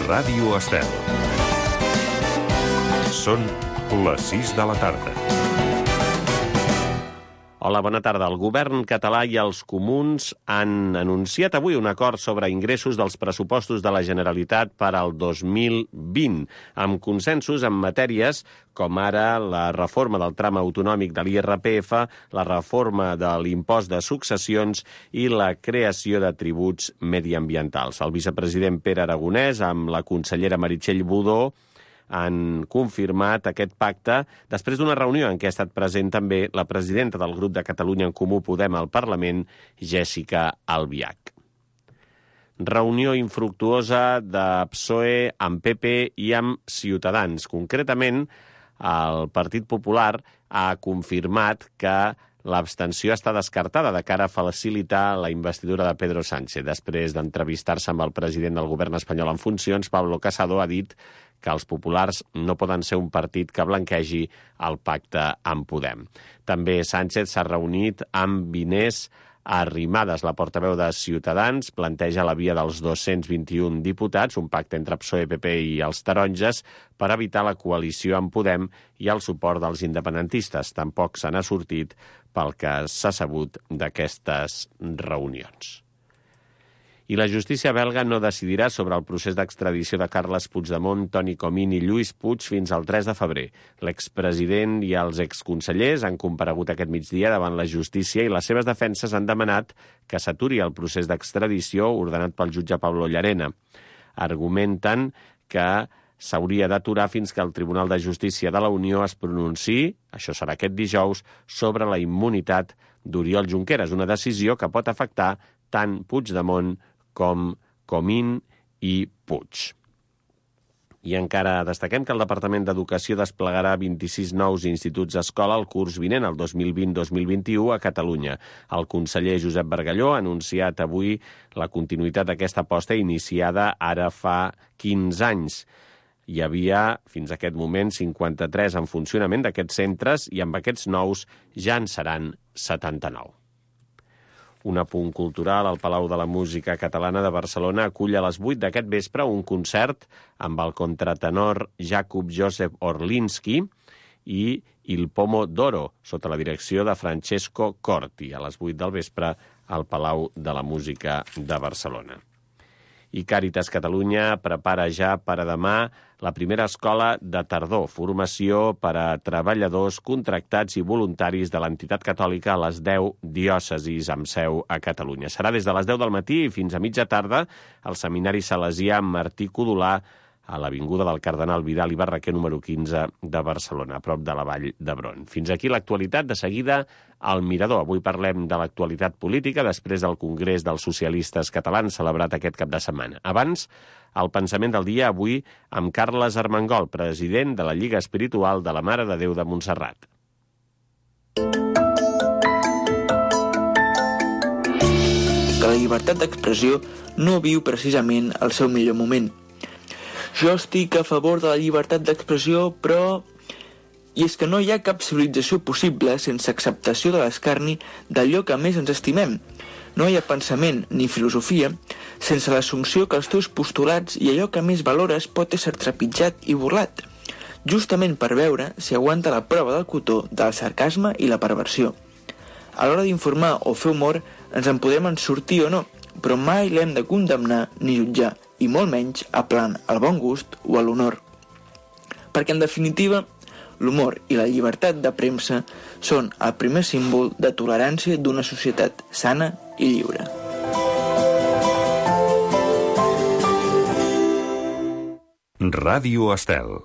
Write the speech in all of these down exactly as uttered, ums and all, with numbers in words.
Ràdio Estel. Són les sis de la tarda. Hola, bona tarda. El govern català i els comuns han anunciat avui un acord sobre ingressos dels pressupostos de la Generalitat per al dos mil vint, amb consensos en matèries com ara la reforma del tram autonòmic de l'I R P F, la reforma de l'impost de successions i la creació de tributs mediambientals. El vicepresident Pere Aragonès, amb la consellera Meritxell Budó, han confirmat aquest pacte després d'una reunió en què ha estat present també la presidenta del grup de Catalunya en Comú Podem al Parlament, Jèssica Albiach. Reunió infructuosa de P S O E amb P P i amb Ciutadans. Concretament, el Partit Popular ha confirmat que l'abstenció està descartada de cara a facilitar la investidura de Pedro Sánchez. Després d'entrevistar-se amb el president del govern espanyol en funcions, Pablo Casado ha dit que els populars no poden ser un partit que blanquegi el pacte amb Podem. També Sánchez s'ha reunit amb Inés Arrimadas, la portaveu de Ciutadans, planteja la via dels dos-cents vint-i-un diputats, un pacte entre P S O E, P P i els taronges, per evitar la coalició amb Podem i el suport dels independentistes. Tampoc se n'ha sortit pel que s'ha sabut d'aquestes reunions. I la justícia belga no decidirà sobre el procés d'extradició de Carles Puigdemont, Toni Comín i Lluís Puig fins al tres de febrer. L'expresident i els exconsellers han comparegut aquest migdia davant la justícia i les seves defenses han demanat que s'aturi el procés d'extradició ordenat pel jutge Pablo Llarena. Argumenten que s'hauria d'aturar fins que el Tribunal de Justícia de la Unió es pronunciï, això serà aquest dijous, sobre la immunitat d'Oriol Junqueras, una decisió que pot afectar tant Puigdemont com Comín i Puig. I encara destaquem que el Departament d'Educació desplegarà vint-i-sis nous instituts escola el curs vinent, el dos mil vint dos mil vint-i-u, a Catalunya. El conseller Josep Bargalló ha anunciat avui la continuïtat d'aquesta aposta iniciada ara fa quinze anys. Hi havia, fins a aquest moment, cinquanta-tres en funcionament d'aquests centres i amb aquests nous ja en seran setanta-nou. Un apunt cultural, al Palau de la Música Catalana de Barcelona acull a les vuit d'aquest vespre un concert amb el contratenor Jakub Josef Orlinski i Il Pomo d'Oro, sota la direcció de Francesco Corti, a les vuit del vespre al Palau de la Música de Barcelona. I Càritas Catalunya prepara ja per a demà la primera escola de tardor, formació per a treballadors contractats i voluntaris de l'entitat catòlica a les deu diòcesis amb seu a Catalunya. Serà des de les deu del matí i fins a mitja tarda al Seminari Salesià Martí Codolà a l'Avinguda del Cardenal Vidal i Barraquer número quinze de Barcelona, a prop de la Vall d'Hebron. Fins aquí l'actualitat, de seguida al Mirador. Avui parlem de l'actualitat política després del Congrés dels Socialistes Catalans celebrat aquest cap de setmana. Abans, el pensament del dia avui amb Carles Armengol, president de la Lliga Espiritual de la Mare de Déu de Montserrat. Que la llibertat d'expressió no viu precisament el seu millor moment. Jo estic a favor de la llibertat d'expressió, però... I és que no hi ha cap civilització possible sense acceptació de l'escarni d'allò que més ens estimem. No hi ha pensament ni filosofia sense l'assumpció que els teus postulats i allò que més valores pot ésser trepitjat i burlat, justament per veure si aguanta la prova del cotó del sarcasme i la perversió. A l'hora d'informar o fer humor ens en podem en sortir o no, però mai l'hem de condemnar ni jutjar, i molt menys aplant al bon gust o a l'honor. Perquè, en definitiva, l'humor i la llibertat de premsa són el primer símbol de tolerància d'una societat sana i lliure. Ràdio Estel.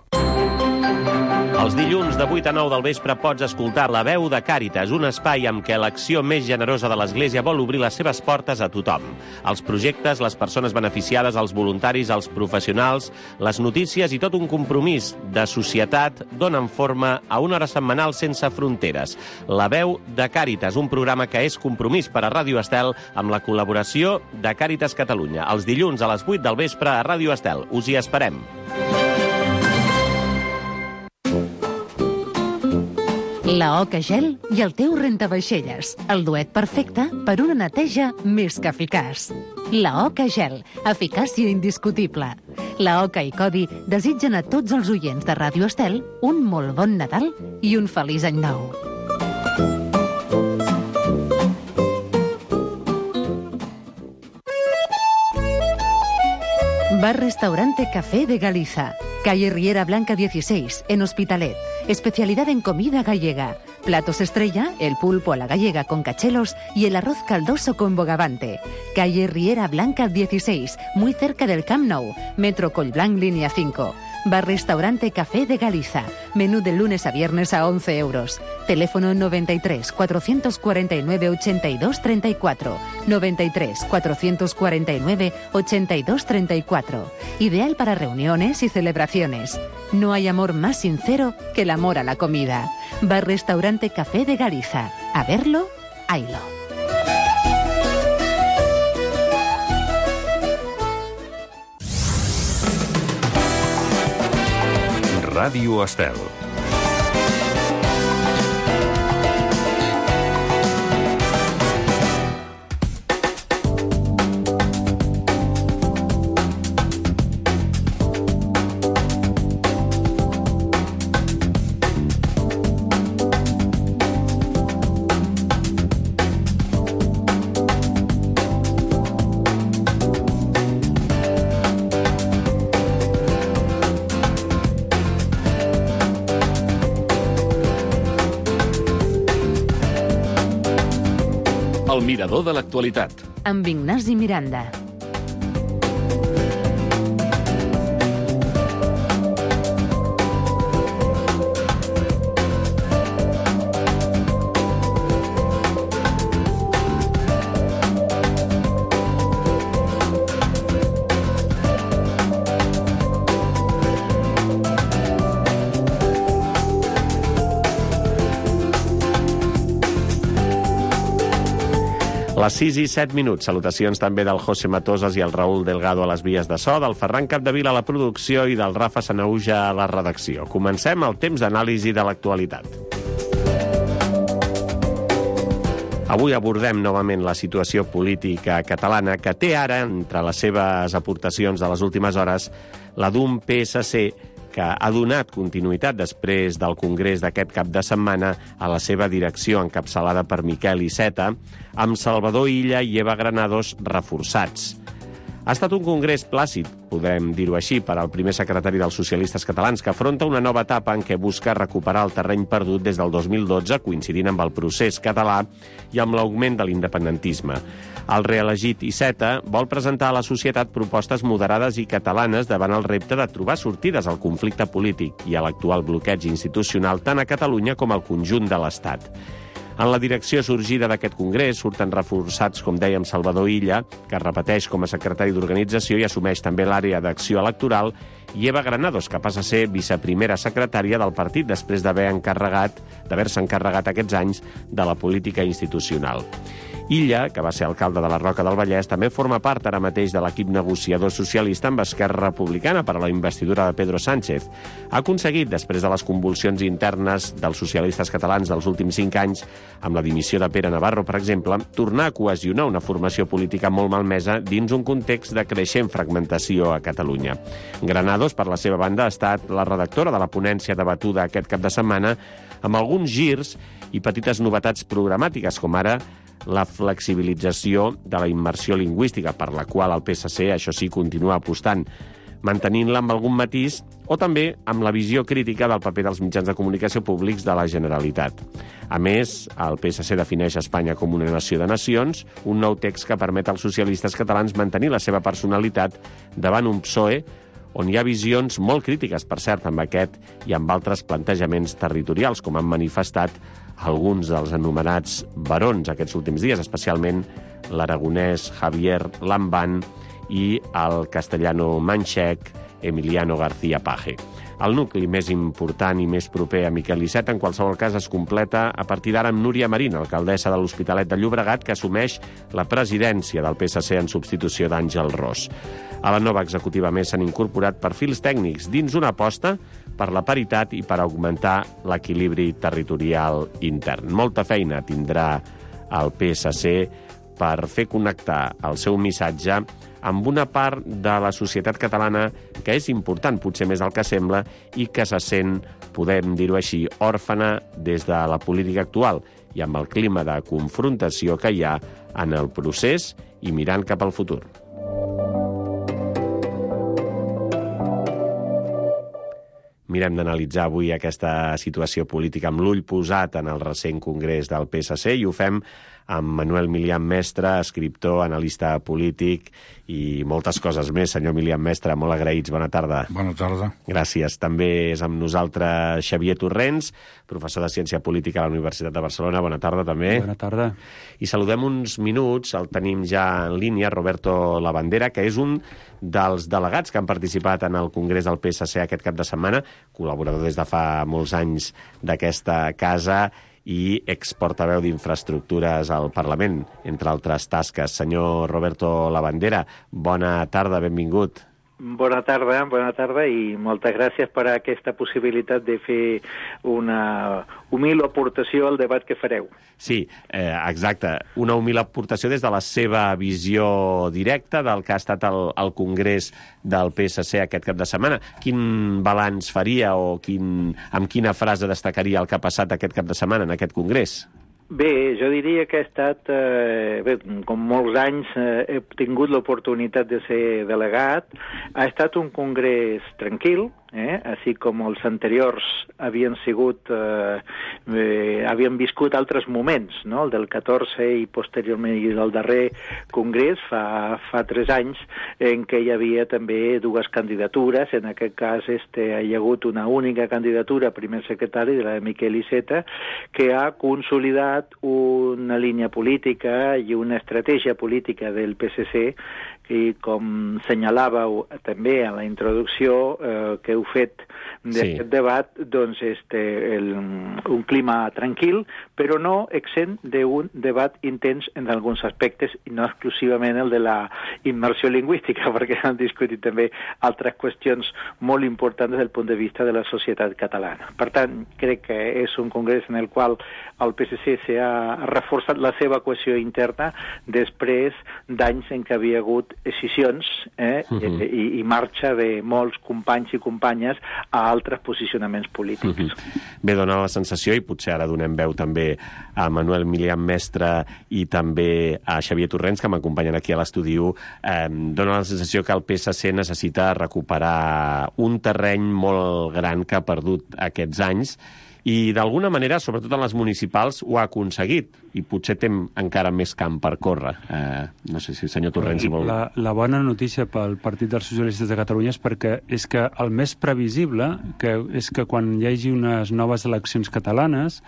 Els dilluns de vuit a nou del vespre pots escoltar La Veu de Càritas, un espai amb què l'acció més generosa de l'Església vol obrir les seves portes a tothom. Els projectes, les persones beneficiades, els voluntaris, els professionals, les notícies i tot un compromís de societat donen forma a una hora setmanal sense fronteres. La Veu de Càritas, un programa que és compromís per a Ràdio Estel amb la col·laboració de Càritas Catalunya. Els dilluns a les vuit del vespre a Ràdio Estel. Us hi esperem. La Oca Gel i el teu rentavaixelles. El duet perfecte per una neteja més que eficaç. La Oca Gel, eficàcia indiscutible. La Oca i Codi desitgen a tots els oients de Ràdio Estel un molt bon Nadal i un feliç any nou. Bar-restaurante Café de Galiza, calle Riera Blanca dieciséis, en Hospitalet. Especialidad en comida gallega. Platos estrella, el pulpo a la gallega con cachelos y el arroz caldoso con bogavante. Calle Riera Blanca dieciséis, muy cerca del Camp Nou. Metro Collblanc, línea cinco. Bar-restaurante Café de Galiza. Menú de lunes a viernes a once euros. Teléfono noventa y tres, cuatrocientos cuarenta y nueve, ochenta y dos, treinta y cuatro. noventa y tres, cuatrocientos cuarenta y nueve, ochenta y dos, treinta y cuatro. Ideal para reuniones y celebraciones. No hay amor más sincero que el amor a la comida. Bar-restaurante Café de Galiza. A verlo, haylo. Ràdio Estel. El mirador de l'actualitat. Amb Ignasi Miranda. Les sis i set minuts. Salutacions també del José Matosas i el Raúl Delgado a les vies de so, del Ferran Capdevila a la producció i del Rafa Sanauja a la redacció. Comencem el temps d'anàlisi de l'actualitat. Avui abordem novament la situació política catalana, que té ara, entre les seves aportacions de les últimes hores, la d'un P S C que ha donat continuïtat després del congrés d'aquest cap de setmana a la seva direcció encapçalada per Miquel Iceta, amb Salvador Illa i Eva Granados reforçats. Ha estat un congrés plàcid, podem dir-ho així, per al primer secretari dels socialistes catalans, que afronta una nova etapa en què busca recuperar el terreny perdut des del dos mil dotze, coincidint amb el procés català i amb l'augment de l'independentisme. El reelegit Iceta vol presentar a la societat propostes moderades i catalanes davant el repte de trobar sortides al conflicte polític i a l'actual bloqueig institucional tant a Catalunya com al conjunt de l'Estat. En la direcció sorgida d'aquest congrés surten reforçats, com dèiem, Salvador Illa, que repeteix com a secretari d'organització i assumeix també l'àrea d'acció electoral, i Eva Granados, que passa a ser viceprimera secretària del partit després d'haver encarregat, d'haver-se encarregat aquests anys de la política institucional. Illa, que va ser alcalde de la Roca del Vallès, també forma part ara mateix de l'equip negociador socialista amb Esquerra Republicana per a la investidura de Pedro Sánchez. Ha aconseguit, després de les convulsions internes dels socialistes catalans dels últims cinc anys, amb la dimissió de Pere Navarro, per exemple, tornar a cohesionar una formació política molt malmesa dins un context de creixent fragmentació a Catalunya. Granados, per la seva banda, ha estat la redactora de la ponència debatuda aquest cap de setmana, amb alguns girs i petites novetats programàtiques, com ara la flexibilització de la immersió lingüística, per la qual el P S C, això sí, continua apostant, mantenint-la amb algun matís, o també amb la visió crítica del paper dels mitjans de comunicació públics de la Generalitat. A més, el P S C defineix Espanya com una nació de nacions, un nou text que permet als socialistes catalans mantenir la seva personalitat davant un P S O E on hi ha visions molt crítiques, per cert, amb aquest i amb altres plantejaments territorials, com han manifestat alguns dels anomenats barons aquests últims dies, especialment l'aragonès Javier Lambán i el castellano manxec Emiliano García Paje. El nucli més important i més proper a Miquel Iceta, en qualsevol cas, es completa a partir d'ara amb Núria Marín, alcaldessa de l'Hospitalet de Llobregat, que assumeix la presidència del P S C en substitució d'Àngel Ros. A la nova executiva més s'han incorporat perfils tècnics dins una aposta per la paritat i per augmentar l'equilibri territorial intern. Molta feina tindrà el P S C per fer connectar el seu missatge amb una part de la societat catalana que és important, potser més del que sembla, i que se sent, podem dir-ho així, òrfana des de la política actual i amb el clima de confrontació que hi ha en el procés i mirant cap al futur. Mirem d'analitzar avui aquesta situació política amb l'ull posat en el recent congrés del P S C i ho fem amb Manuel Milian Mestre, escriptor, analista polític i moltes coses més. Senyor Milian Mestre, molt agraïts. Bona tarda. Bona tarda. Gràcies. També és amb nosaltres Xavier Torrents, professor de Ciència Política a la Universitat de Barcelona. Bona tarda, també. Bona tarda. I saludem uns minuts, el tenim ja en línia, Roberto Labandera, que és un dels delegats que han participat en el Congrés del P S C aquest cap de setmana, col·laborador des de fa molts anys d'aquesta casa i exportaveu d'infraestructures al Parlament, entre altres tasques. Senyor Roberto Labandera, bona tarda, benvingut. Bona tarda, bona tarda i moltes gràcies per aquesta possibilitat de fer una humil aportació al debat que fareu. Sí, eh, exacte. Una humil aportació des de la seva visió directa del que ha estat el, el Congrés del P S C aquest cap de setmana. Quin balanç faria o quin, amb quina frase destacaria el que ha passat aquest cap de setmana en aquest Congrés? Bé, jo diria que ha estat, eh, bé, com molts anys eh, he tingut l'oportunitat de ser delegat, ha estat un congrés tranquil, eh, així com els anteriors havien sigut, eh, eh, havien viscut altres moments, no? El del catorze i posteriorment i del darrer congrés, fa, fa tres anys, en què hi havia també dues candidatures, en aquest cas este, hi ha hagut una única candidatura, primer secretari, de la de Miquel Iceta, que ha consolidat una línia política i una estratègia política del P S C i, com senyalàveu també a la introducció eh, que heu fet d'aquest sí. debat, doncs este, el, un clima tranquil, però no exempt d'un debat intens en alguns aspectes, i no exclusivament el de la immersió lingüística, perquè han discutit també altres qüestions molt importants des del punt de vista de la societat catalana. Per tant, crec que és un congrés en el qual el P S C s'ha reforçat la seva cohesió interna després d'anys en què havia hagut decisions eh, uh-huh. i, i marxa de molts companys i companyes a altres posicionaments polítics. Uh-huh. Bé, dona la sensació, i potser ara donem veu també a Manuel Milian Mestre i també a Xavier Torrents, que m'acompanyen aquí a l'estudi, eh, dona la sensació que el P S C necessita recuperar un terreny molt gran que ha perdut aquests anys, i d'alguna manera, sobretot en les municipals, ho ha aconseguit, i potser té encara més camp per córrer. Eh, no sé si el senyor Torrents vol... La, la bona notícia pel Partit dels Socialistes de Catalunya és perquè és que el més previsible que és que quan hi hagi unes noves eleccions catalanes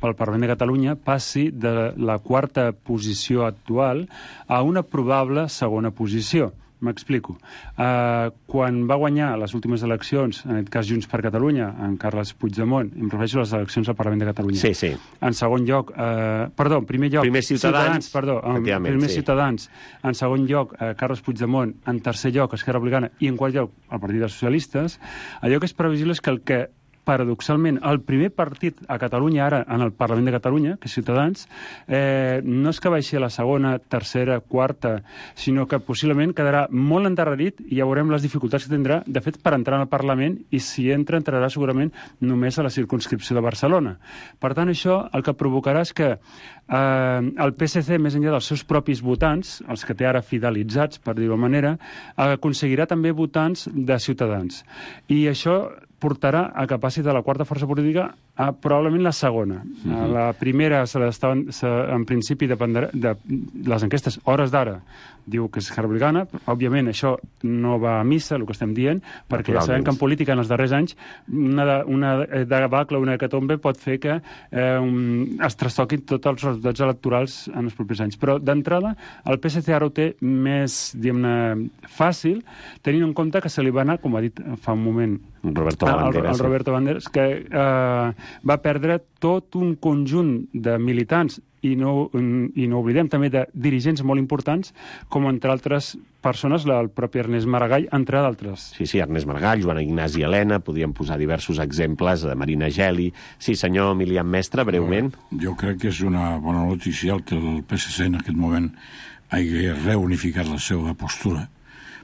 pel Parlament de Catalunya passi de la quarta posició actual a una probable segona posició. M'explico. Uh, quan va guanyar les últimes eleccions, en aquest cas Junts per Catalunya, en Carles Puigdemont, em refereixo a les eleccions al Parlament de Catalunya. Sí, sí. En segon lloc, uh, perdó, en primer lloc... Primer Ciutadans. Ciutadans perdó, en primer sí. Ciutadans. En segon lloc, uh, Carles Puigdemont. En tercer lloc, Esquerra Republicana. I en quart lloc, el Partit dels Socialistes. Allò que és previsible és que el que paradoxalment, el primer partit a Catalunya ara, en el Parlament de Catalunya, que és Ciutadans, eh, no és que baixi a la segona, tercera, quarta, sinó que possiblement quedarà molt endarrerit i ja veurem les dificultats que tindrà, de fet, per entrar al Parlament, i si entra, entrarà segurament només a la circumscripció de Barcelona. Per tant, això el que provocarà és que eh, el P S C, més enllà dels seus propis votants, els que té ara fidelitzats, per dir-ho manera, aconseguirà també votants de Ciutadans. I això portarà a que passi de la quarta força política a probablement la segona. Uh-huh. La primera, se se, se, en principi, dependrà de les enquestes hores d'ara, diu que és Esquerra Republicana. Òbviament, això no va a missa, el que estem dient, perquè ja sabem que en política, en els darrers anys, una, una debacle, una hecatombe pot fer que eh, un, es trastoquin tots els resultats electorals en els propers anys. Però, d'entrada, el P S C ara ho té més, diguem-ne, fàcil, tenint en compte que se li va anar, com ha dit fa un moment Roberto Banderas, el, el Roberto Banderas, que eh, va perdre tot un conjunt de militants i no, i no oblidem també de dirigents molt importants, com entre altres persones, el propi Ernest Maragall, entre d'altres. Sí, sí, Ernest Maragall, Joan Ignasi Helena, podríem posar diversos exemples, de Marina Geli. Sí, senyor Emilian Mestre, breument. Jo crec que és una bona notícia el que el P S C en aquest moment hagi reunificat la seva postura,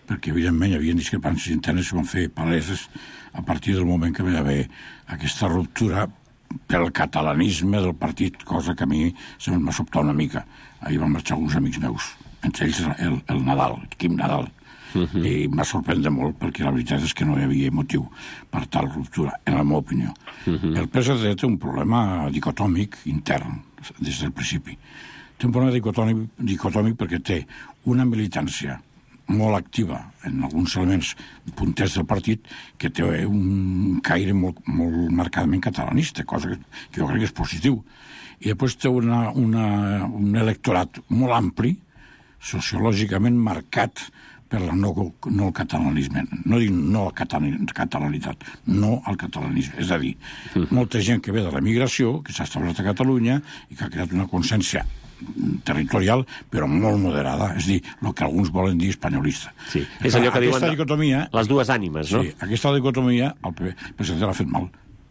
perquè evidentment hi havia discrepàncies internes que van fer paleses a partir del moment que va haver aquesta ruptura pel catalanisme del partit, cosa que a mi se m'ha sobtat una mica. Ahir van marxar alguns amics meus, entre ells el, el Nadal, el Quim Nadal, uh -huh. i m'ha sorprès molt perquè la veritat és que no hi havia motiu per tal ruptura, en la meva opinió. Uh -huh. El P S C té un problema dicotòmic intern des del principi. Té un problema dicotòmic, dicotòmic perquè té una militància molt activa en alguns elements punters del partit que té un caire molt, molt marcadament catalanista, cosa que, que jo crec que és positiu. I després té una, una, un electorat molt ampli, sociològicament marcat per la no, no el catalanisme. No dic no a la catalanitat, no al catalanisme. És a dir, molta gent que ve de l'emigració, que s'ha establert a Catalunya i que ha creat una consciència territorial, però molt moderada, és a dir, el que alguns volen dir espanyolista. Sí, és allò que diuen dicotomia, les dues ànimes, no? Sí, aquesta dicotomia el P S C l'ha fet mal.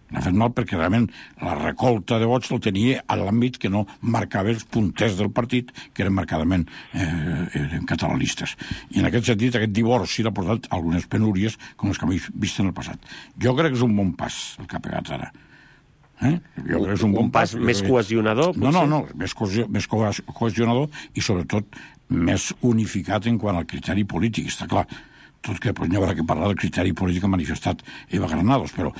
L'ha fet mal perquè realment la recolta de vots el tenia a l'àmbit que no marcava els punters del partit, que eren marcadament eh, eren catalanistes. I en aquest sentit, aquest divorci l'ha portat algunes penúries com les que hem vist en el passat. Jo crec que és un bon pas el que ha pegat ara. Eh? Jo crec que és un, un bon pas, pas més cohesionador, potser? No, no, no, més, cohesió, més cohesionador i sobretot més unificat en quant al criteri polític, està clar. Tot que doncs, no haurà que parlar del criteri polític que ha manifestat Eva Granados, però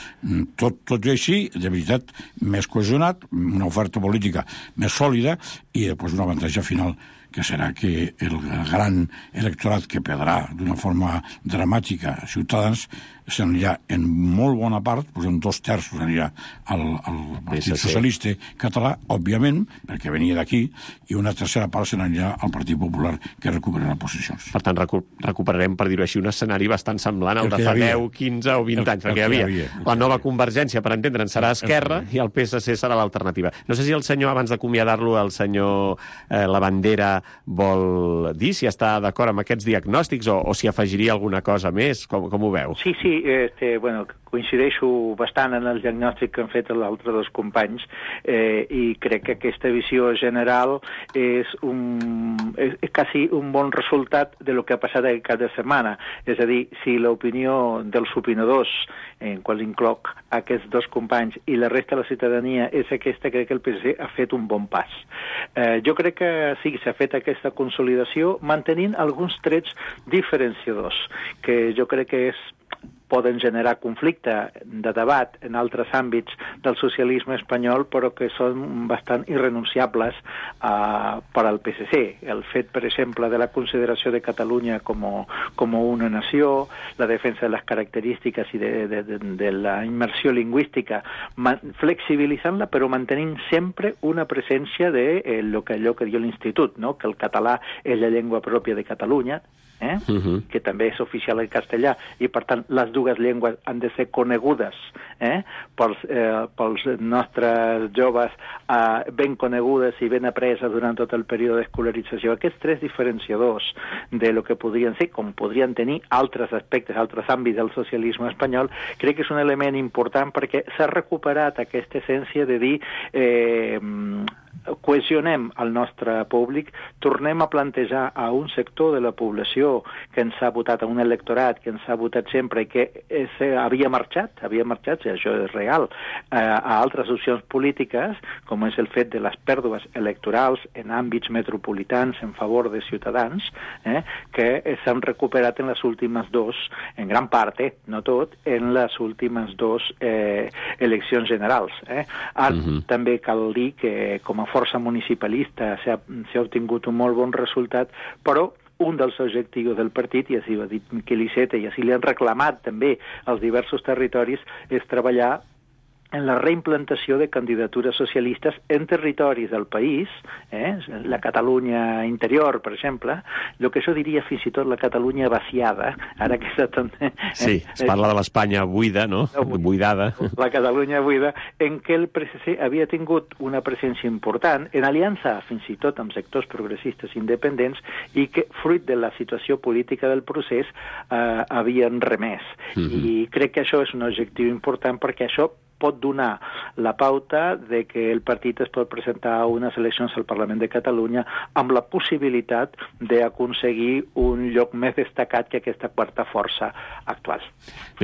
tot, tot i així, de veritat, més cohesionat, una oferta política més sòlida i després un avantatge final que serà que el gran electorat que perdrà d'una forma dramàtica Ciutadans se n'anirà en molt bona part, doncs en dos terços anirà al, al Partit Socialista Català, òbviament, perquè venia d'aquí, i una tercera part se n'anirà al Partit Popular, que recuperarà posicions. Per tant, recu recuperarem, per dir-ho així, un escenari bastant semblant al de fa deu, quinze o vint anys, perquè hi havia. havia. La nova Convergència, per entendre'n, serà Esquerra i el P S C serà l'alternativa. No sé si el senyor, abans d'acomiadar-lo, el senyor eh, Lavandera vol dir si està d'acord amb aquests diagnòstics o, o si afegiria alguna cosa més. Com, com ho veu? Sí, sí, este, bueno, coincideixo bastant en el diagnòstic que han fet els altres dos companys eh, i crec que aquesta visió general és, un, és, és quasi un bon resultat de lo que ha passat aquest cap de setmana. És a dir, si l'opinió dels opinadors, en qual incloc aquests dos companys, i la resta de la ciutadania és aquesta, crec que el P S C ha fet un bon pas. Eh, jo crec que sí, s'ha fet aquesta consolidació mantenint alguns trets diferenciadors, que jo crec que és poden generar conflicte de debat en altres àmbits del socialisme espanyol, però que són bastant irrenunciables uh, per al P S C. El fet, per exemple, de la consideració de Catalunya com, com una nació, la defensa de les característiques i de, de, de, de la immersió lingüística, flexibilitzant-la, però mantenint sempre una presència de eh, lo que, allò que diu l'Institut, no? Que el català és la llengua pròpia de Catalunya, eh? Uh-huh. Que també és oficial el castellà, i per tant les dues llengües han de ser conegudes eh? pels, eh, pels nostres joves, eh, ben conegudes i ben apreses durant tot el període d'escolarització. Aquests tres diferenciadors de lo que podrien ser, com podrien tenir altres aspectes, altres àmbits del socialisme espanyol, crec que és un element important perquè s'ha recuperat aquesta essència de dir eh, cohesionem el nostre públic, tornem a plantejar a un sector de la població que ens ha votat, a un electorat que ens ha votat sempre i que és, havia marxat, havia marxat, i això és real, eh, a altres opcions polítiques, com és el fet de les pèrdues electorals en àmbits metropolitans en favor de Ciutadans, eh, que s'han recuperat en les últimes dos, en gran part, eh, no tot, en les últimes dos eh, eleccions generals. Eh. Ara, uh-huh. també cal dir que com a força municipalista s'ha obtingut un molt bon resultat, però un dels objectius del partit, i així ho ha dit Miquel Iceta, i així li han reclamat també als diversos territoris, és treballar en la reimplantació de candidatures socialistes en territoris del país, eh? la Catalunya interior, per exemple, el que això diria fins i tot la Catalunya vaciada, ara que està tan... Eh? Sí, es parla de l'Espanya buida, no? Buidada. La Catalunya buida, en què el P S C havia tingut una presència important, en aliança fins i tot amb sectors progressistes independents, i que, fruit de la situació política del procés, eh, havien remès. Mm-hmm. I crec que això és un objectiu important, perquè això pot donar la pauta de que el partit es pot presentar a unes eleccions al Parlament de Catalunya amb la possibilitat d'aconseguir un lloc més destacat que aquesta quarta força actual.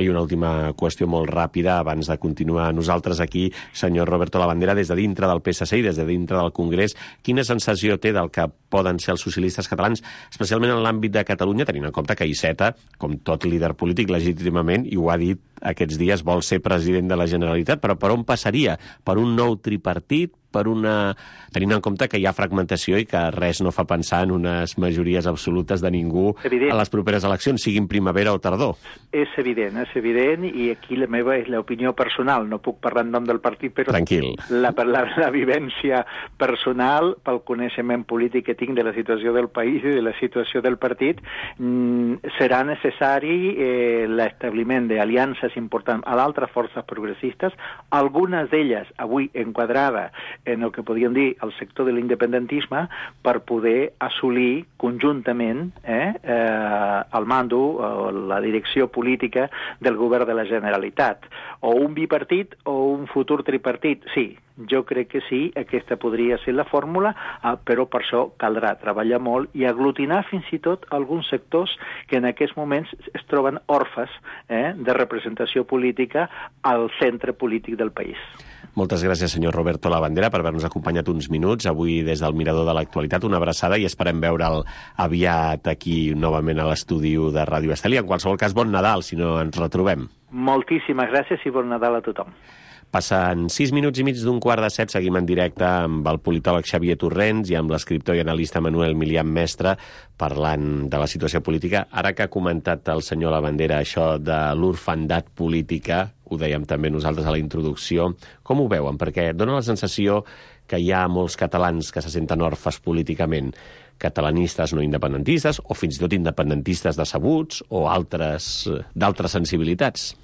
I una última qüestió molt ràpida abans de continuar nosaltres aquí, senyor Roberto Labandera, des de dintre del P S C i des de dintre del Congrés, quina sensació té del que poden ser els socialistes catalans, especialment en l'àmbit de Catalunya, tenint en compte que Iceta, com tot líder polític legítimament, i ho ha dit aquests dies, vol ser president de la Generalitat, però per on passaria? Per un nou tripartit? Per una... tenint en compte que hi ha fragmentació i que res no fa pensar en unes majories absolutes de ningú evident. A les properes eleccions, siguin primavera o tardor. És evident, és evident, i aquí la meva és l'opinió personal, no puc parlar en nom del partit, però Tranquil. La, la, la vivència personal, pel coneixement polític que tinc de la situació del país i de la situació del partit, mm, serà necessari eh, l'establiment d'aliances importants a d'altres forces progressistes, algunes d'elles avui enquadrada en el que podríem dir el sector de l'independentisme, per poder assolir conjuntament eh, eh, el mando, o la direcció política del govern de la Generalitat. O un bipartit o un futur tripartit, sí, jo crec que sí, aquesta podria ser la fórmula, eh, però per això caldrà treballar molt i aglutinar fins i tot alguns sectors que en aquests moments es troben orfes eh, de representació política al centre polític del país. Moltes gràcies, senyor Roberto Labandera, per haver-nos acompanyat uns minuts avui des del Mirador de l'Actualitat. Una abraçada i esperem veure'l aviat aquí novament a l'estudi de Ràdio Estel. I en qualsevol cas, bon Nadal, si no ens retrobem. Moltíssimes gràcies i bon Nadal a tothom. Passen sis minuts i mig d'un quart de set, seguim en directe amb el politòleg Xavier Torrents i amb l'escriptor i analista Manuel Milian Mestre parlant de la situació política. Ara que ha comentat el senyor Labandera això de l'orfandat política, ho dèiem també nosaltres a la introducció, com ho veuen? Perquè dona la sensació que hi ha molts catalans que se senten orfes políticament, catalanistes no independentistes, o fins i tot independentistes decebuts, o altres d'altres sensibilitats.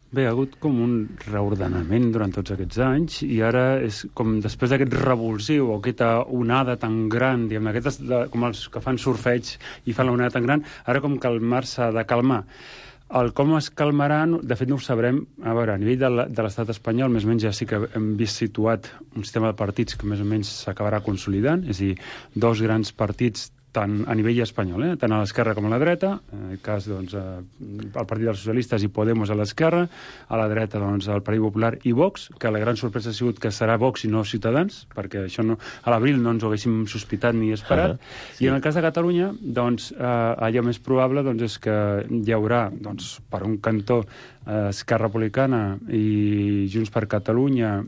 Bé, ha hagut com un reordenament durant tots aquests anys i ara és com després d'aquest revulsiu o aquesta onada tan gran, diguem, aquestes, de, com els que fan surfeig i fan la onada tan gran, ara com calmar-se de calmar. El com es calmarà, de fet no ho sabrem, a veure, a nivell de l'estat espanyol, més o menys ja sí que hem vist situat un sistema de partits que més o menys s'acabarà consolidant, és a dir, dos grans partits tant a nivell espanyol, eh? tant a l'esquerra com a la dreta, en aquest cas doncs, el Partit dels Socialistes i Podemos a l'esquerra, a la dreta doncs, el Partit Popular i Vox, que la gran sorpresa ha sigut que serà Vox i no Ciutadans, perquè això no, a l'abril no ens ho haguéssim sospitat ni esperat, uh -huh, sí. I en el cas de Catalunya, doncs, eh, allò més probable doncs, és que hi haurà, doncs, per un cantó, eh, Esquerra Republicana i Junts per Catalunya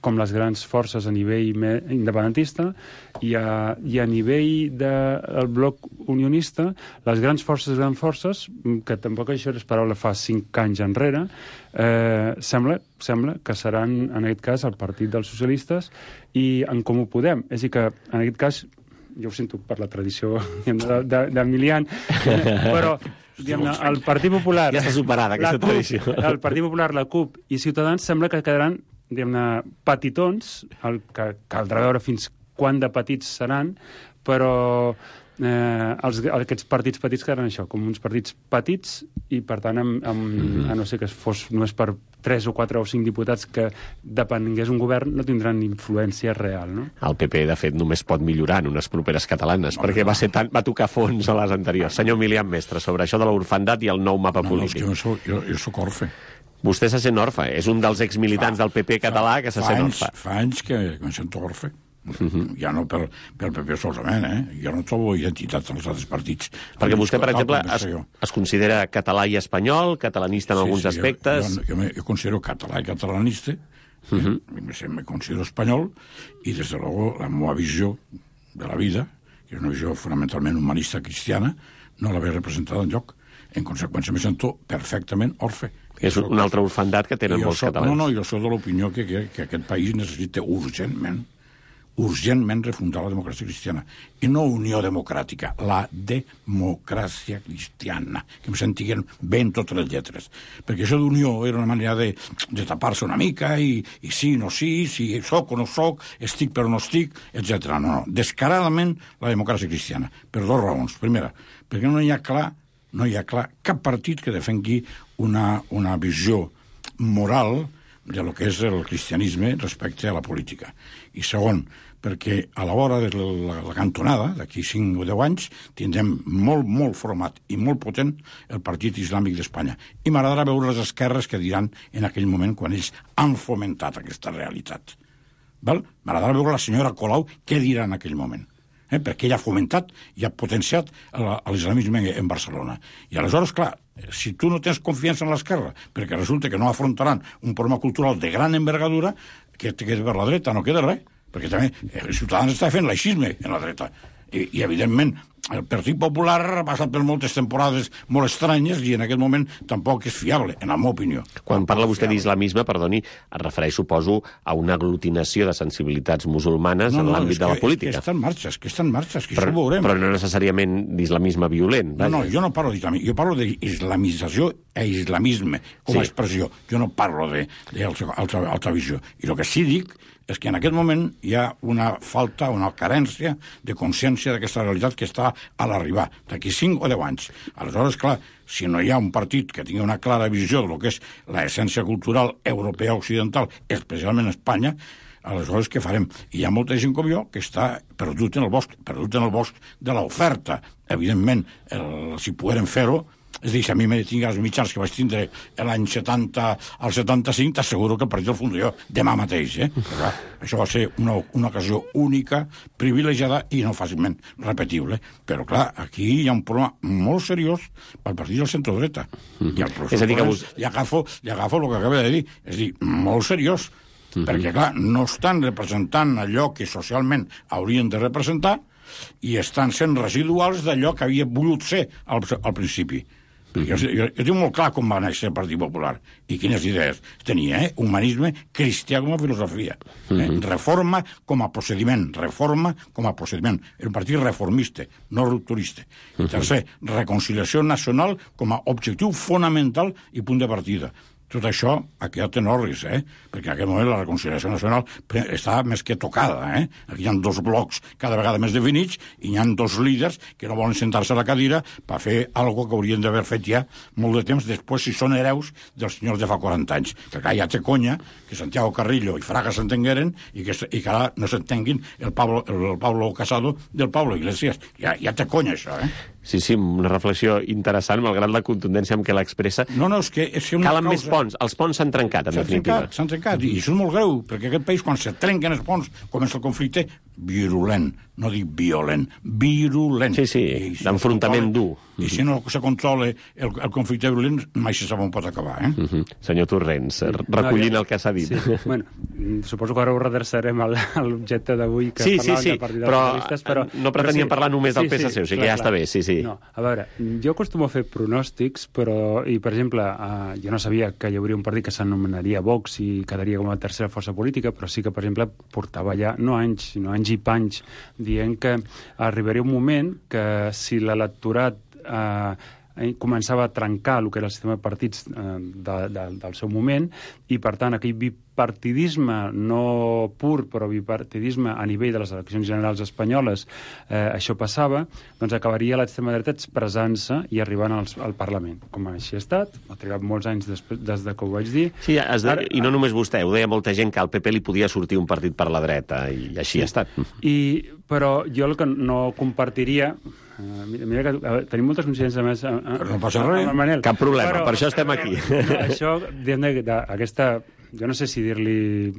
com les grans forces a nivell independentista, i a, i a nivell del de, bloc unionista, les grans forces, grans forces, que tampoc això era esperable fa cinc anys enrere, eh, sembla, sembla que seran, en aquest cas, el Partit dels Socialistes i en Comú Podem. És a dir que, en aquest cas, jo ho sento per la tradició d'Emilian, però diguem-ne, el Partit Popular... Ja està superada, aquesta CUP, tradició. El Partit Popular, la CUP i Ciutadans sembla que quedaran diguem-ne, petitons, el que caldrà veure fins quan de petits seran, però eh, els, aquests partits petits quedaran això, com uns partits petits i, per tant, amb, amb, mm-hmm. a no ser que fos només per tres o quatre o cinc diputats que depengués un govern, no tindran influència real, no? El P P, de fet, només pot millorar en unes properes catalanes, no, perquè no. Va, ser tan, va tocar fons a les anteriors. Senyor Milian Mestre, sobre això de l'orfandat i el nou mapa no, polític. No, jo, jo, jo soc orfe. Vostè se sent orfe. És un dels exmilitants fa, del P P català que se sent anys, orfe. Fa anys que em sento orfe. Uh-huh. Ja no pel, pel P P solament, eh? Jo no trobo identitat als altres partits. Perquè vostè, per exemple, es, es considera català i espanyol, catalanista en sí, alguns sí, aspectes... Jo, jo, jo, me, jo considero català i catalanista, uh-huh. eh? me, me considero espanyol, i, des de luego, la meva visió de la vida, que és una visió fonamentalment humanista cristiana, no la ve representada enlloc. En conseqüència, me sento perfectament orfe. És una altra orfandat que tenen molts soc, catalans. No, no, jo soc de l'opinió que, que, que aquest país necessita urgentment, urgentment refundar la democràcia cristiana. I no Unió Democràtica, la democràcia cristiana, que em sentiguen bé en totes les lletres. Perquè això d'unió era una manera de, de tapar-se una mica, i, i sí, no sí, si soc o no soc, estic però no estic, etcètera. No, no, descaradament la democràcia cristiana, per dues raons. Primera, perquè no hi ha clar, no hi ha clar cap partit que defengui una, una visió moral de lo que és el cristianisme respecte a la política. I segon, perquè a l'hora de la, la cantonada, d'aquí cinc o deu anys, tindrem molt, molt format i molt potent el Partit Islàmic d'Espanya. I m'agradarà veure les esquerres que diran en aquell moment quan ells han fomentat aquesta realitat. Val? M'agradarà veure la senyora Colau què dirà en aquell moment. Eh? Perquè ella ha fomentat i ha potenciat l'islamisme en Barcelona. I aleshores, clar, si tu no tens confiança en l'esquerra, perquè resulta que no afrontaran un problema cultural de gran envergadura, que te queda per la dreta, no queda res. Perquè també els Ciutadans està fent laïcisme en la dreta. I, i evidentment, el Partit Popular ha passat per moltes temporades molt estranyes i en aquest moment tampoc és fiable, en la meva opinió. Quan parla vostè d'islamisme, perdoni, es refereix, suposo, a una aglutinació de sensibilitats musulmanes no, no, en l'àmbit de la política. És que està en marxa, és que està en marxa, és que però, això ho veurem. Però no necessàriament d'islamisme violent. Vaja. No, no, jo no parlo d'islamisme, jo parlo d'islamització e islamisme com a sí. expressió. Jo no parlo d'altra visió. I el que sí dic és que en aquest moment hi ha una falta, una carència de consciència d'aquesta realitat que està a l'arribar, d'aquí cinc o deu anys. Aleshores, clar, si no hi ha un partit que tingui una clara visió del que és l'essència cultural europea occidental, especialment Espanya, aleshores què farem? I hi ha molta gent com jo que està perdut en el bosc, perdut en el bosc de l'oferta. Evidentment, el, si pogueren fer-ho, és a dir, si a mi me tinc els mitjans que vaig tindre l'any setanta al setanta-cinc, t'asseguro que el partit el fundo jo demà mateix, eh? Però, clar, això va ser una, una ocasió única, privilegiada i no fàcilment repetible. Però, clar, aquí hi ha un problema molt seriós pel partit del centre-dreta. Mm-hmm. I el professor és a dir que vos... li, agafo, li agafo el que acaba de dir. És a dir, molt seriós. Mm-hmm. Perquè, clar, no estan representant allò que socialment haurien de representar i estan sent residuals d'allò que havia volgut ser al, al principi. Jo, jo, jo tinc molt clar com va néixer el Partit Popular i quines idees tenia, eh? Humanisme cristià com a filosofia, eh? Reforma com a procediment, reforma com a procediment. Era un partit reformista, no rupturista. I tercer, reconciliació nacional com a objectiu fonamental i punt de partida. Tot això ha quedat en orris, eh? Perquè en aquest moment la reconciliació nacional està més que tocada, eh? Aquí hi ha dos blocs cada vegada més definits i hi ha dos líders que no volen sentar-se a la cadira per fer alguna que haurien d'haver fet ja molt de temps després si són hereus dels senyors de fa quaranta anys. Perquè ja té conya que Santiago Carrillo i Fraga s'entengueren i que, i que ara no s'entenguin el Pablo, el Pablo Casado del Pablo Iglesias. Ja, ja té conya, això, eh? Sí, sí, una reflexió interessant, malgrat la contundència amb què l'expressa. No, no, és que... És que calen causa... més ponts. Els ponts s'han trencat, en definitiva. Trencat, s'han trencat, i això és molt greu, perquè aquest país, quan se trenquen els ponts, comença el conflicte virulent, no dic violent, virulent. Sí, sí, si d'enfrontament dur. I si no se controla el, el conflicte virulent, mai se sap on pot acabar, eh? Uh -huh. Senyor Torrents, recollint no, ja... el que s'ha dit. Sí, bueno, suposo que ara ho redreçarem a l'objecte d'avui, que sí, parlàvem sí, sí, de partits però, socialistes, però... no preteníem però sí, parlar només del sí, P S C, sí, o sigui clar, que ja clar. està bé, sí, sí. No, a veure, jo acostumo a fer pronòstics, però, i per exemple, eh, jo no sabia que hi hauria un partit que s'anomenaria Vox i quedaria com a tercera força política, però sí que, per exemple, portava ja, no anys, sinó anys i panys, dient que arribaria un moment que si l'electorat eh, començava a trencar el que era el sistema de partits eh, de, de, del seu moment i, per tant, aquell bipartidisme no pur, però bipartidisme a nivell de les eleccions generals espanyoles, eh, això passava, doncs acabaria l'extrema dreta expressant-se i arribant als, al Parlament. Com així ha estat, ha trigat molts anys després, des de que ho vaig dir. Sí, es de... Ara, i no només vostè, ho deia molta gent que al P P li podia sortir un partit per la dreta, i així sí. ha estat. I, però jo el que no compartiria... Uh, mira que uh, tenim moltes coincidències més uh, uh, no passa res, Manel. Cap problema, però, per això estem aquí. No, això, d'aquesta, jo no sé si dir-li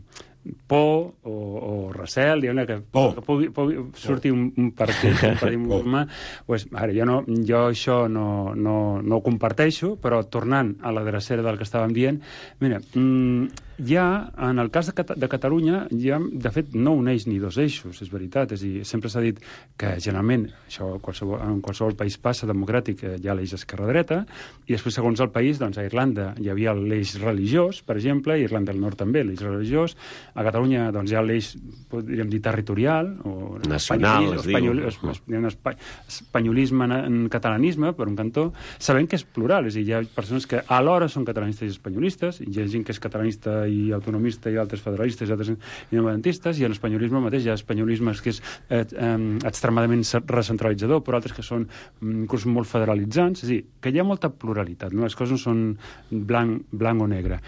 por o, o recel, diguem-ne que, que pugui, pugui sortir un, un partit, un partit musulmà, pues, ara, jo, no, jo això no, no, no ho comparteixo, però tornant a la drecera del que estàvem dient, mira, mmm, ja, en el cas de, Cat de Catalunya, ja, de fet, no uneix ni dos eixos, és veritat. És a dir, sempre s'ha dit que, generalment, això qualsevol, en qualsevol país passa democràtic, hi ha l'eix esquerra-dreta, i després, segons el país, doncs, a Irlanda hi havia l'eix religiós, per exemple, a Irlanda del Nord també, l'eix religiós. A Catalunya, doncs, hi ha l'eix, podríem dir, territorial, o nacional, es espanyol, diu. Espanyol, espanyolisme en catalanisme, per un cantó, sabent que és plural, és a dir, hi ha persones que alhora són catalanistes i espanyolistes, i hi ha gent que és catalanista i autonomista i altres federalistes i altres independentistes, i en l'espanyolisme mateix hi ha espanyolismes que és eh, eh, extremadament recentralitzador, però altres que són inclús molt federalitzants, és a dir, que hi ha molta pluralitat, no? Les coses no són blanc, blanc o negre.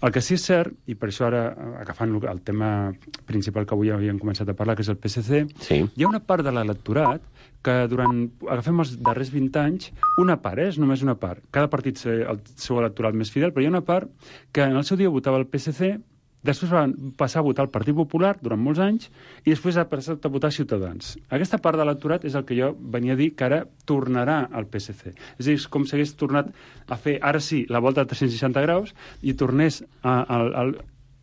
El que sí és cert, i per això ara, agafant el tema principal que avui havíem començat a parlar, que és el P S C, sí. Hi ha una part de l'electorat que durant, agafem els darrers vint anys, una part, eh, és només una part. Cada partit té el seu electorat més fidel, però hi ha una part que en el seu dia votava el P S C, després van passar a votar el Partit Popular durant molts anys i després ha passat a votar Ciutadans. Aquesta part de l'electorat és el que jo venia a dir que ara tornarà al P S C. És a dir, és com si hagués tornat a fer, ara sí, la volta de tres-cents seixanta graus i tornés a... a, a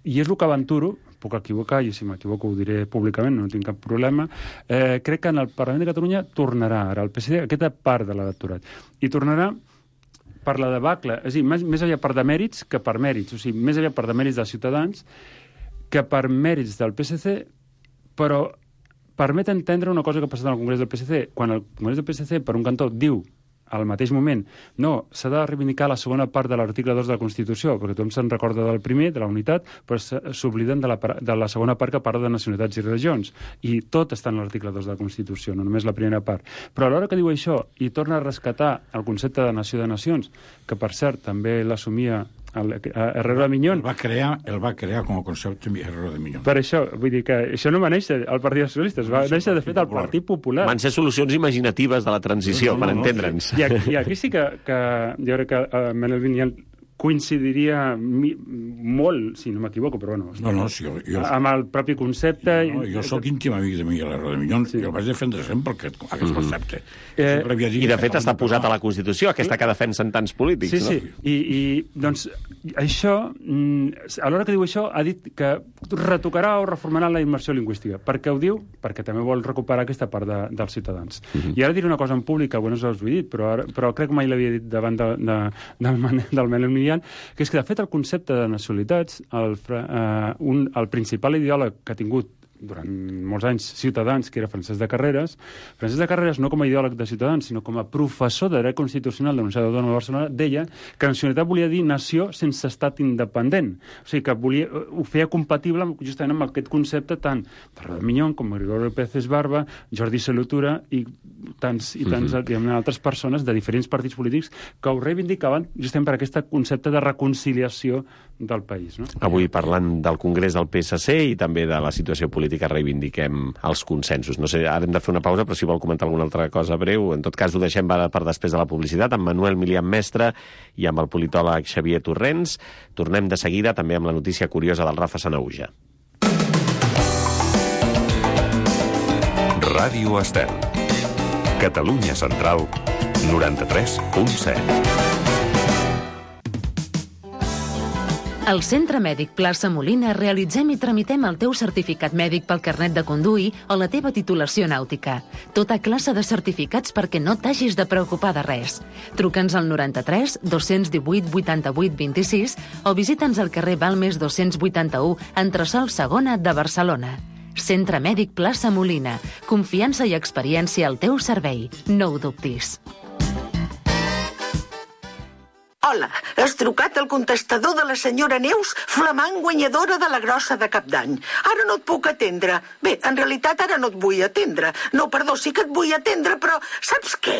i és el que aventuro, puc equivocar, i si m'equivoco ho diré públicament, no tinc cap problema, eh, crec que en el Parlament de Catalunya tornarà ara el P S C, aquesta part de l'electorat. I tornarà per la debacle, és a dir, més, més aviat per demèrits que per mèrits, o sigui, més aviat per demèrits dels Ciutadans que per mèrits del P S C, però permet entendre una cosa que ha passat en el Congrés del P S C. Quan el Congrés del P S C, per un cantó, diu al mateix moment, no, s'ha de reivindicar la segona part de l'article dos de la Constitució, perquè tothom se'n recorda del primer, de la unitat, però s'obliden de, la, de la segona part que parla de nacionalitats i religions. I tot està en l'article dos de la Constitució, no només la primera part. Però a l'hora que diu això i torna a rescatar el concepte de nació de nacions, que per cert també l'assumia el, Herrero de Miñón. El va crear, el va crear com a concepte Herrero de Miñón. Per això, vull dir que això no va néixer al Partit dels Socialistes, va néixer, de fet, al Partit Popular. Van ser solucions imaginatives de la transició, no, no, per entendre'ns. I aquí, i aquí sí que, que jo crec que uh, Manuel Vinyal coincidiria mi, molt, si no m'equivoco, però bueno, no, no, si jo, jo, amb el propi concepte. No, no, jo sóc íntim amic de Miguel Herrero de Miñón, sí. I el vaig defendre sempre aquest, aquest mm. concepte. Eh, I de fet està posat a la Constitució, aquesta que defensen tants polítics. Sí, no? Sí, I, i doncs això, a l'hora que diu això, ha dit que retocarà o reformarà la immersió lingüística. Per què ho diu? Perquè també vol recuperar aquesta part de, dels ciutadans. Mm-hmm. I ara diré una cosa en públic, que alguns no us ho he dit, però, ara, però crec que mai l'havia dit davant de, de, del, del Manuel Vinyal, que és que, de fet, el concepte de nacionalitats, el, uh, un, el principal ideòleg que ha tingut durant molts anys Ciutadans, que era Francesc de Carreras. Francesc de Carreras, no com a ideòleg de Ciutadans, sinó com a professor de dret constitucional de la Universitat Autònoma de Barcelona, deia que nacionalitat volia dir nació sense estat independent. O sigui, que volia, ho feia compatible justament amb aquest concepte tant de Herrero de Miñón com Gregorio Pérez Barba, Jordi Solutura i tants i tants uh-huh. altres persones de diferents partits polítics que ho reivindicaven justament per aquest concepte de reconciliació del país. No? Avui, parlant del Congrés del P S C i també de la situació política, reivindiquem els consensos. No sé, ara hem de fer una pausa, però si vol comentar alguna altra cosa breu, en tot cas ho deixem per després de la publicitat, amb Manuel Milian Mestre i amb el politòleg Xavier Torrents. Tornem de seguida també amb la notícia curiosa del Rafa Sanahuja. Ràdio Estel. Catalunya Central, noranta-tres punt set. Al Centre Mèdic Plaça Molina realitzem i tramitem el teu certificat mèdic pel carnet de conduir o la teva titulació nàutica. Tota classe de certificats perquè no t'hagis de preocupar de res. Truca'ns al noranta-tres dos-cents divuit vuitanta-vuit vint-i-sis o visita'ns al carrer Balmes dos-cents vuitanta-u, entresòl segona de Barcelona. Centre Mèdic Plaça Molina. Confiança i experiència al teu servei. No ho dubtis. Hola, has trucat al contestador de la senyora Neus, flamant guanyadora de la grossa de Cap d'Any. Ara no et puc atendre. Bé, en realitat ara no et vull atendre. No, perdó, sí que et vull atendre, però saps què?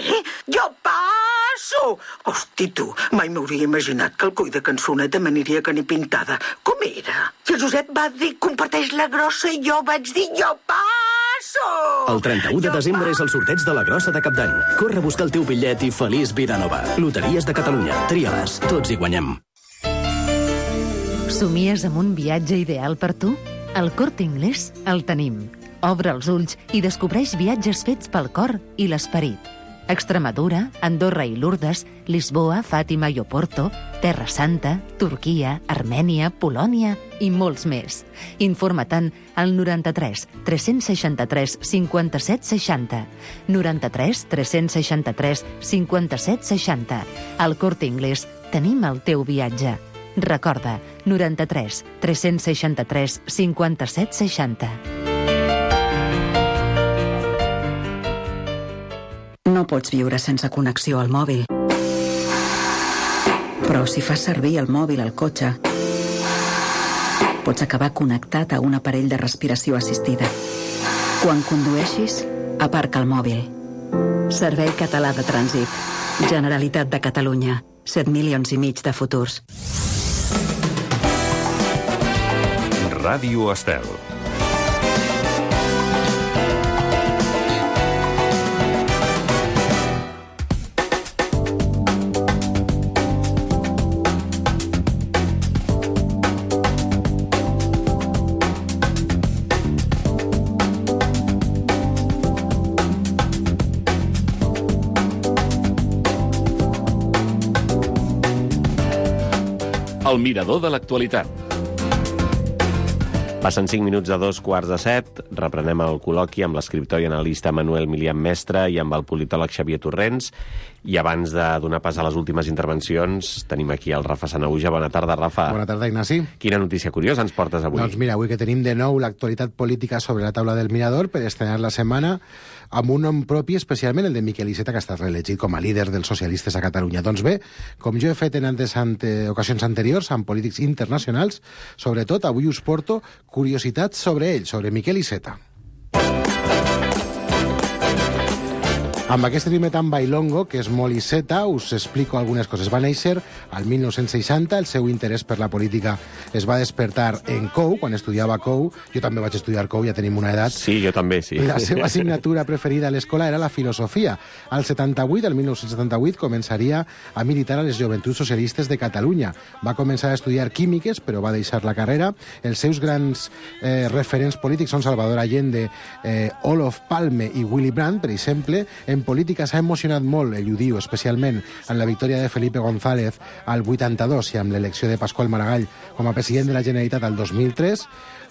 Jo passo! Hosti, tu, mai m'hauria imaginat que el coi de cançoneta m'aniria que ni pintada. Com era? I el Josep va dir, comparteix la grossa, i jo vaig dir, jo passo! El trenta-u de desembre és el sorteig de la grossa de Cap d'Any. Corre a buscar el teu bitllet i feliç vida nova. Loteries de Catalunya. Tria-les. Tots hi guanyem. Somies amb un viatge ideal per tu? Al Corte Inglés el tenim. Obre els ulls i descobreix viatges fets pel cor i l'esperit. Extremadura, Andorra i Lourdes, Lisboa, Fàtima i Oporto, Terra Santa, Turquia, Armènia, Polònia i molts més. Informa-te'n al noranta-tres tres seixanta-tres cinquanta-set seixanta. noranta-tres tres seixanta-tres cinquanta-set seixanta. Al Corte Inglés tenim el teu viatge. Recorda, noranta-tres tres seixanta-tres cinquanta-set seixanta. No pots viure sense connexió al mòbil. Però si fas servir el mòbil al cotxe, pots acabar connectat a un aparell de respiració assistida. Quan condueixis, aparca el mòbil. Servei Català de Trànsit. Generalitat de Catalunya. set milions i mig de futurs. Ràdio Estel. El mirador de l'actualitat. Passen cinc minuts de dos quarts de set. Reprenem el col·loqui amb l'escriptor i analista Manuel Milian Mestre i amb el politòleg Xavier Torrents. I abans de donar pas a les últimes intervencions, tenim aquí el Rafa Sanahuja. Bona tarda, Rafa. Bona tarda, Ignasi. Quina notícia curiosa ens portes avui? Doncs mira, avui que tenim de nou l'actualitat política sobre la taula del Mirador per estrenar la setmana amb un nom propi, especialment el de Miquel Iceta, que ha estat reelegit com a líder dels socialistes a Catalunya. Doncs bé, com jo he fet en antes ante, ocasions anteriors amb polítics internacionals, sobretot avui us porto curiositats sobre ell, sobre Miquel Iceta. Amb aquest ritme tan bailongo, que és molt Iceta, us explico algunes coses. Va néixer al mil nou-cents seixanta, el seu interès per la política es va despertar en C O U, quan estudiava C O U. Jo també vaig estudiar C O U, ja tenim una edat. Sí, jo també, sí. La seva assignatura preferida a l'escola era la filosofia. Al setanta-vuit, el mil nou-cents setanta-vuit, començaria a militar a les Joventuts Socialistes de Catalunya. Va començar a estudiar químiques, però va deixar la carrera. Els seus grans eh, referents polítics són Salvador Allende, eh, Olof Palme i Willy Brandt, per exemple. En política s'ha emocionat molt, ell ho diu, especialment en la victòria de Felipe González al vuitanta-dos i amb l'elecció de Pasqual Maragall com a president de la Generalitat al dos mil tres.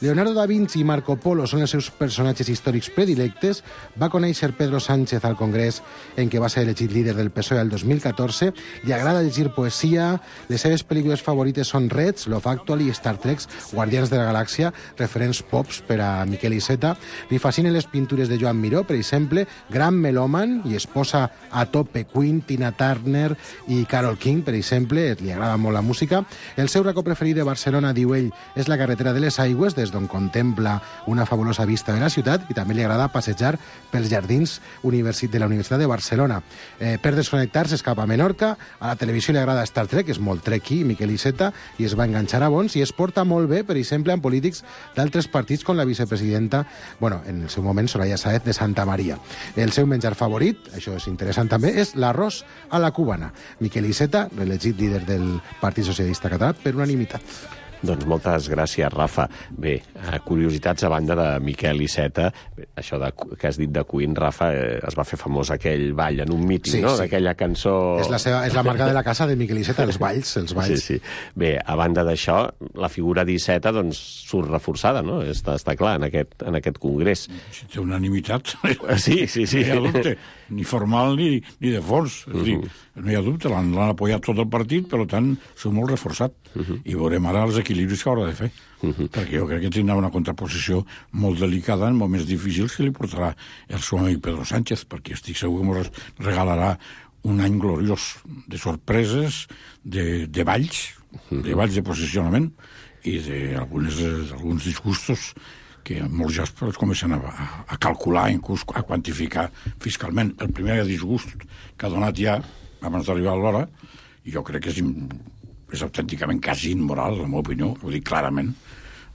Leonardo da Vinci i Marco Polo són els seus personatges històrics predilectes. Va conèixer Pedro Sánchez al Congrés, en què va ser elegit líder del P S O E al dos mil catorze. Li agrada llegir poesia. Les seves pel·lícules favorites són Reds, Love Actually i Star Trek, Guardians de la Galàxia, referents pops per a Miquel Iceta. Li fascinen les pintures de Joan Miró, per exemple, gran melòman i esposa a tope Queen, Tina Turner i Carole King, per exemple. Li agrada molt la música. El seu racó preferit de Barcelona, diu ell, és la carretera de les Aigües, des d'on contempla una fabulosa vista de la ciutat, i també li agrada passejar pels jardins de la Universitat de Barcelona. Eh, per desconnectar-se es cap a Menorca. A la televisió li agrada Star Trek, és molt trekky, Miquel Iceta, i es va enganxar a bons, i es porta molt bé, per exemple, amb polítics d'altres partits, com la vicepresidenta, bueno, en el seu moment, Soraya Sáez de Santa Maria. El seu menjar favorit, això és interessant també, és l'arròs a la cubana. Miquel Iceta, reelegit líder del Partit Socialista Català per unanimitat. Doncs moltes gràcies, Rafa. Bé, curiositats a banda de Miquel Iceta. Això de, que has dit de Queen, Rafa, eh, es va fer famós aquell ball en un míting, sí, no? Sí. D'aquella cançó... És la, seva, és la marca de la casa de Miquel Iceta, els balls, els balls. Sí, sí. Bé, a banda d'això, la figura d'Iceta doncs, surt reforçada, no? Està, està clar, en aquest, en aquest congrés. Si té unanimitat... Sí, sí, sí. No hi ha dubte, ni formal ni, ni de fons. És uh -huh. dir, no hi ha dubte, l'han apoyat tot el partit, per tant, s'ha molt reforçat. Uh -huh. I veurem ara els equilibris que haurà de fer. Uh -huh. Perquè jo crec que tindrà una contraposició molt delicada en moments difícils que li portarà el seu amic Pedro Sánchez, perquè estic segur que ens regalarà un any gloriós de sorpreses, de, de balls, uh -huh. de balls de posicionament i d'alguns disgustos que molts ja es comencen a, a calcular, inclús a quantificar fiscalment. El primer disgust que ha donat ja abans d'arribar a l'hora, i jo crec que és, és autènticament quasi immoral, la meva opinió, ho dic clarament,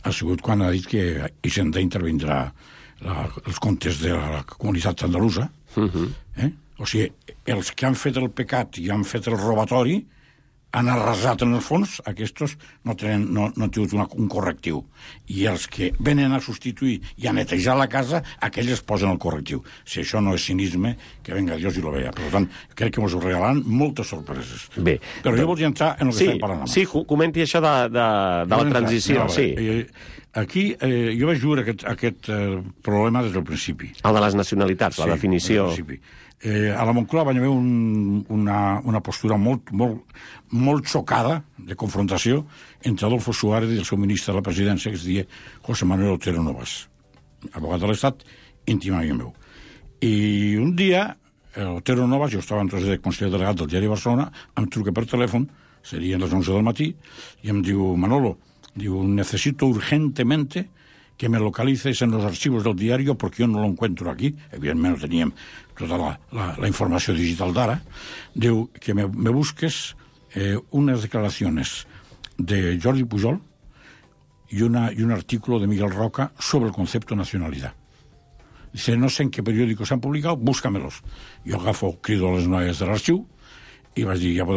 ha sigut quan ha dit que Hisenda intervindrà la, els comptes de la comunitat andalusa. Uh-huh. eh? O sigui, els que han fet el pecat i han fet el robatori han arrasat en el fons, aquests no tenen, no, no han tingut una, un correctiu. I els que venen a substituir i a netejar la casa, aquells es posen el correctiu. Si això no és cinisme, que venga Dios i lo vea. Per tant, crec que ens ho regalaran moltes sorpreses. Bé. Però jo volia entrar en el que sí, estem parlant. Sí, comenti això de, de, de la transició. No, sí. eh, aquí eh, jo vaig veure aquest, aquest eh, problema des del principi. El de les nacionalitats, la sí, definició... Eh, a la Moncloa vaig haver un, una, una postura molt, molt, molt xocada de confrontació entre Adolfo Suárez i el seu ministre de la presidència, que es deia José Manuel Otero Novas, abogat de l'Estat, íntim amic meu. I un dia, Otero Novas, jo estava entonces de conseller delegat del diari Barcelona, em truca per telèfon, serien les onze del matí, i em diu, Manolo, diu, necesito urgentemente que me localices en los archivos del diario porque yo no lo encuentro aquí. Evidentment no teníem tota la, la, la informació digital d'ara. Diu que me, me busques eh, unas declaraciones de Jordi Pujol y, una, y un artículo de Miguel Roca sobre el concepto nacionalidad. Dice, no sé en qué periódicos se han publicado, búscamelos. Jo agafo, crido a les noies de l'arxiu i vaig dir, ja podeu